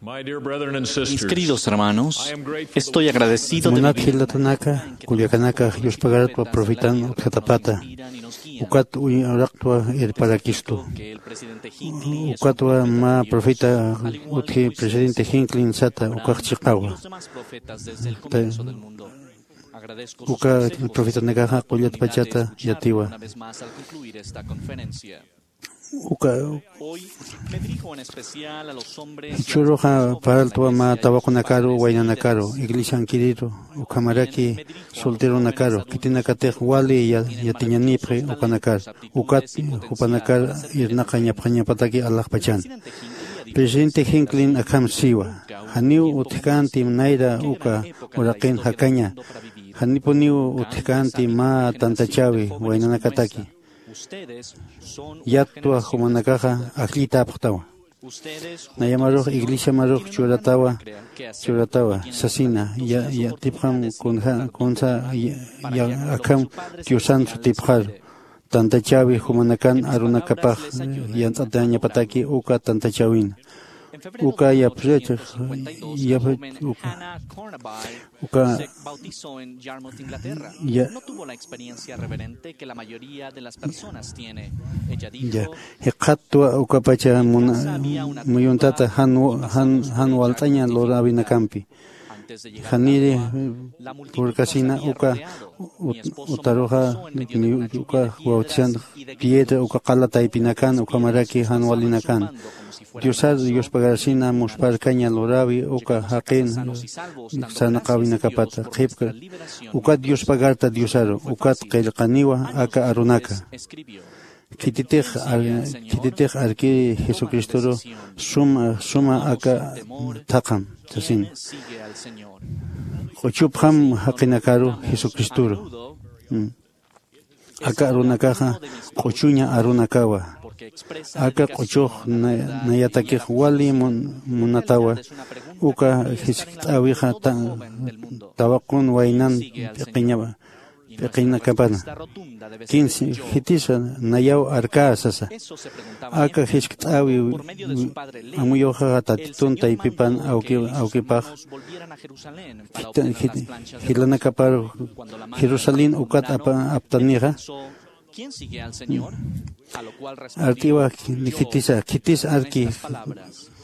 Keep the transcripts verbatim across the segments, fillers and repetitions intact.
My dear brethren and Mis sisters, queridos hermanos, I am grateful to estoy agradecido de munat vivir jilatanaka, kullakanaka, yuspagartwa profetan utjatapata. Ukat uy uraqtwa irparakistu. Ukatwa mä profeta utji presidente Hinckley sata ukax chiqawa. Te- Uka profetanakaxa qullat pachata yatiwa. Uka churuxa parltwa mä tawaqunakaru, waynanakaru, iglesiankiriru, ukhamaraki solteronakaru, khitinakatix wali ya- yatiñanipxi ukanakar. Ukat jupanakar irnaqañapxañapataki alaxpachan. Presidente Hinckley akham siwa: janiw utjkänti nayra uka uraqin jakaña, janipuniw utjkänti mä tantachäwi waynanakataki. Yattwa jumanakaxa ajllitäpxtawa. Nayamarux iglesiamarux churatawa, churatawa sasina, ya- yatipxam kunja- kunsa ya- ya- akham Diosan sutipxaru. Tantachäwi jumanakan arunakapax yant'atañapataki uka tantachäwina. Uka yapxich, yapxich, uka, uka, ya- ya, jikxattwa ukapacha muna- muyuntata jan, jan, jan walt'aña luräwinakampi. Janiri purkasina uka ut- utaruxa, uka wawtisan piedra, uka qala taypinakan, ukhamaraki jan walinakan. Diosar yuspagarsina muspharkaña luräwi uka jaqin sarnaqäwinakapata qhipka. Ukat yuspagarta Diosaru, ukat qillqaniwa aka arunaka. Khititix ar- khititix arkiri Jesucristoru suma, suma aka thaqham sasina. Q'uchupxam jaqinakaru Jesucristoru. Mm. Aka arunakaxa q'uchuña arunakawa. Aka q'uchux na- nayatakix wali mun- munatawa. Uka jiskt'äwixa ta- tawaqun waynan p'iqiñawa. P'iqinakapana. Kinsi, jitisa nayaw arkä sasa. Aka jiskt'äwi amuyuxaxa Tatitun taypipan awki- awkipax jita- jit- jilanakapar Jerusalén ukat apa- aptanixa. Art'iwa khitisa, khitis arki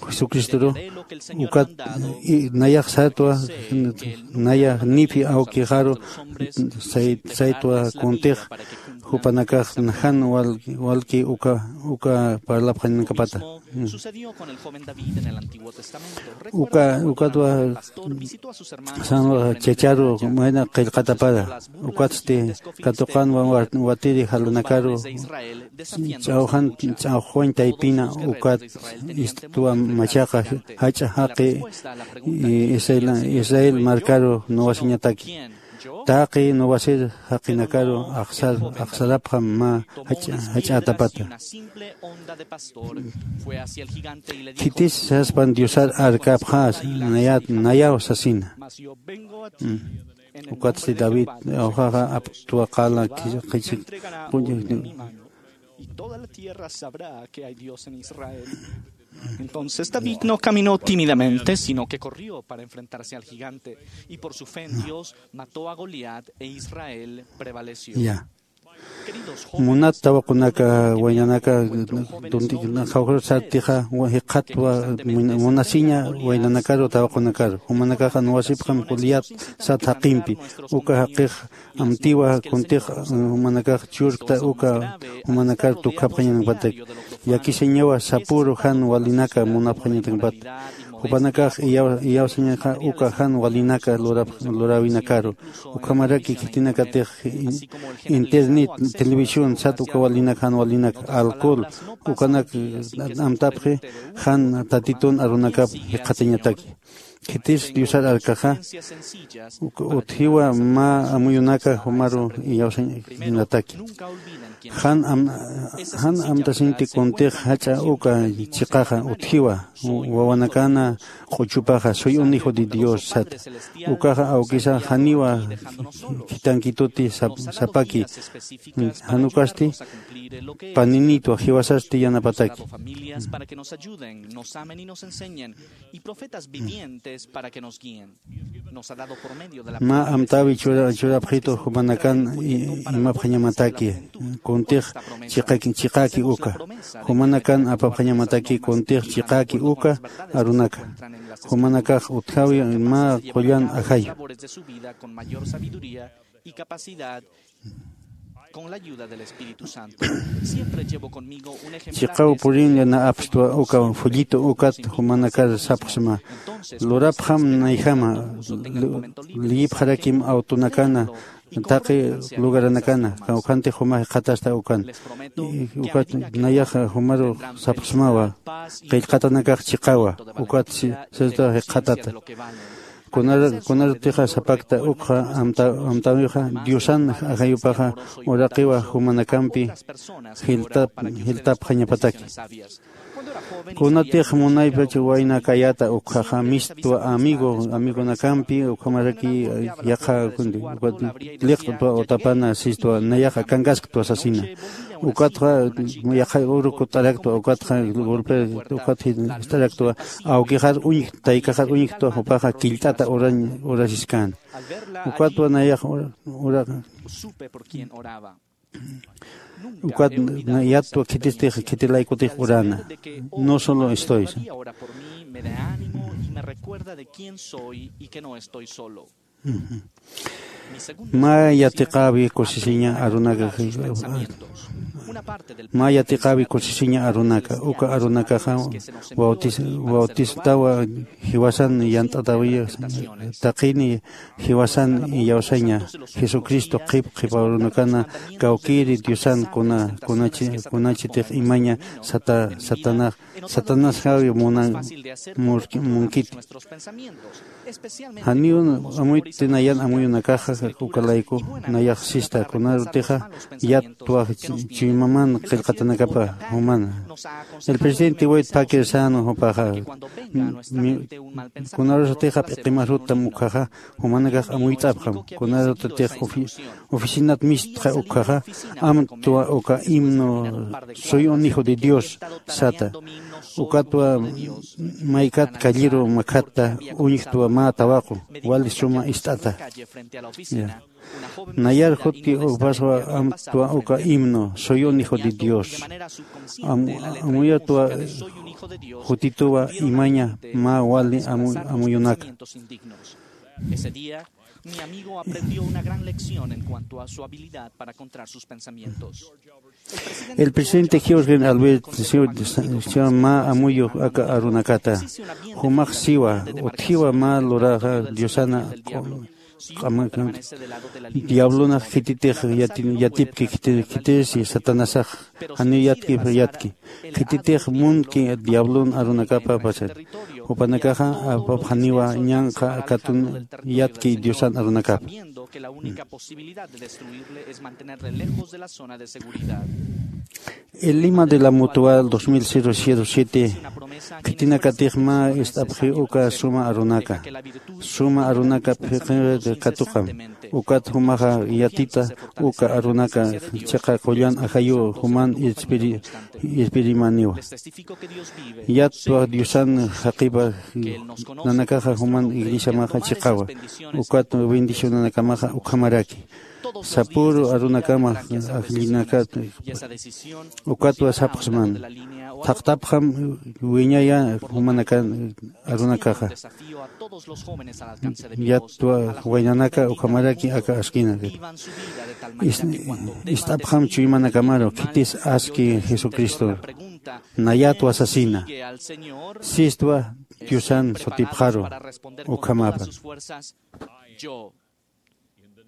Jesucristoru, ukat i- nayax sartwa, naya nipi awkixaru say- saytwa kuntix jupanakax jan wal- walki uka uka parlapxañanakapata. Uka ukatwa sanwa chacharu mayna qillqatapara. Ukatsti katuqanwa wa- watiri jalanakaru ch'awjan ch'awjwañ taypina ukat istwa machaqa jach'a jaqi Israel, Israel markaru nuwasiñataki. Taqi nuwasir jaqinakaru axsar axsarapxam mä jach'a- jach'ätapata. Khitis saspan Diosar arkapxäs nayat nayaw sasina. Ukatsti David awjaxa aptwa qala qhichik. Entonces David no caminó tímidamente, sino que corrió para enfrentarse al gigante, y por su fe en Dios mató a Goliat e Israel prevaleció. Ya. Munat tawaqunaka waynanaka tunti jawjur sartixa jikxatwa munasiña waynanakaru tawaqunakaru. Jumanakaxa nuwasipxam Goliat sat jaqimpi. Uka jaqix amtiwa kuntix jumanakax churkta uka jumanakar tukhapxañanakpatak. Llakisiñawa sapüru jan walinaka munapxañanakpat. Jupanakax iyaw- iyawsañaxa uka jan walinaka lurap- luräwinakaru. Ukhamaraki khitinakatix internet, televisión sat uka walinak jan walinak alcohol ukanak amtapxi jan Tatitun arunakap jikxatañataki. Khitis Diosar arkaxa, uk-, utjiwa mä amuyunaka jumaru iyawsañataki. Jan am-, jan amtasinti kuntix jach'a uka chiqaxa utjiwa, wawanakana q'uchupaxa, "Soy un hijo de Dios", sata. Ukaxa awkisa janiwa khitankituti sap-, sapaki, jan ukasti paninitwa jiwasasti yanapataki. Y profetas vivientes para que nos guíen. Nos ha dado por medio de la Mä amtäwi chura-, churapxitu jumanakan i-, imapxañamataki, kuntix chiqaki, chiqaki uka. Jumanakan apapxañamataki kuntix chiqaki uka arunaka. Jumanakax utjawi mä qullan ajayu. Labores de su vida con mayor sabiduría y capacidad con la ayuda del Espíritu Santo. Siempre llevo conmigo un ejemplar Chiqaw de purinli na apstwa uka folleto ukat jumanakar sapxsma. Lurapxam nayjama, lu-, liyipxarakim awtunakana, taqi lugaranakana, kawkhanti juma jikxatasta ukan. Y ukat nayaxa jumaru sapxsmawa, qillqatanakax chiqawa, ukat si-, sista jikxatata. Kunar-, kunarutixa sapakta ukxa amta-, amtäwixa, Diosan ajayupaxa uraqiwa jumanakampi jiltap-, jiltapxañapataki. Kunatix munaypach waynakayäta ukxaxa, mistwa amigo, amigonakampi ukhamaraki yaqha, liqt'twa utapana sistwa, nayaxa kankasktwa sasina. Ukatxa yaqha uru kut'araktwa, ukatxa golpe, ukat jist'araktwa, awkixar uñj-, taykaxar uñjktwa, jupaxa killt'ata urañ-, urasiskäna. Ukatwa nayax ura-, ura-, ukat na-, yatwa khitistix, khitilaykutix urana. No solo estoy. Mä yatiqäwi kusisiña arunaka, mä yatiqäwi kusisiña arunaka, uka arunakaxa bautis-, bautistawa jiwasan yant'atäwiya, taqini jiwasan iyawsaña, Jesucristo qhip qhipa arunakana kawkïri Diosan kuna, kunachi, kunachitix imaña sata-, satana, Satanasxawi munan murki-, munkiti. Janiw amuyt'ti nayan amuyunakaxa ukalayku nayax sista, kunarutixa yatwa ch-, chuymaman qillqatanakapa jumana. El presidente Wade Packer sän jupaxa, mi-, kunarusatixa p'iqimarutam ukhaxa, jumanakax amuyt'apxam, kunarutix ofi-, oficinat mistxa ukhaxa, amtwa uka himno "Soy un hijo de Dios" sata. Ukatwa maykat calleru makhatta uñjtwa mä tawaqu, wali suma ist'ata. Ya. Nayar juti upaswa amtwa uka himno, "Soy un hijo de Dios". Am-, amuyatwa jutituwa imaña mä wali amu-, amuyunaka. Ese día, mi amigo aprendió una gran lección en cuanto a su habilidad para controlar sus pensamientos. El presidente George Albert Seward mä amuyu aka arunakata, jumax siwa, utjiwa mä luraxa Diosana q'ama-, diablonax khititix yati-, yatipki khiti-, khitirsi Satanasax, janiw yatki, yatki. Khititix munki diablon arunakapa pasar. Jupanakaxa apapxaniwa ñanqha katun yatki Diosan arunakapa. El lima de la Mutual dos mil siete, khitinakatix mä ist'apxi uka suma arunaka. Suma arunaka phiqi katuqam. Ukat jumaxa yatita uka arunaka chiqa qullan ajayu juman irpiri-, irpirimaniwa. Yatwa Diosan jaqipa nanakaxa juman iglesiamaxa chiqawa. Ukat bendicionanakamaxa ukhamaraki. Sapüru arunakama ajllinakat ukatwa sapxsman. Thaqtapxam wiñaya jumanakan arunakaxa. Yatwa waynanaka ukhamaraki aka askina. Is-, ist'apxam chuymanakamaru, khitis aski Jesucristo. Nayatwa sasina. Sistwa Diosan sutipxaru ukhamapa.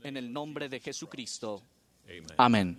En el nombre de Jesucristo. Amén.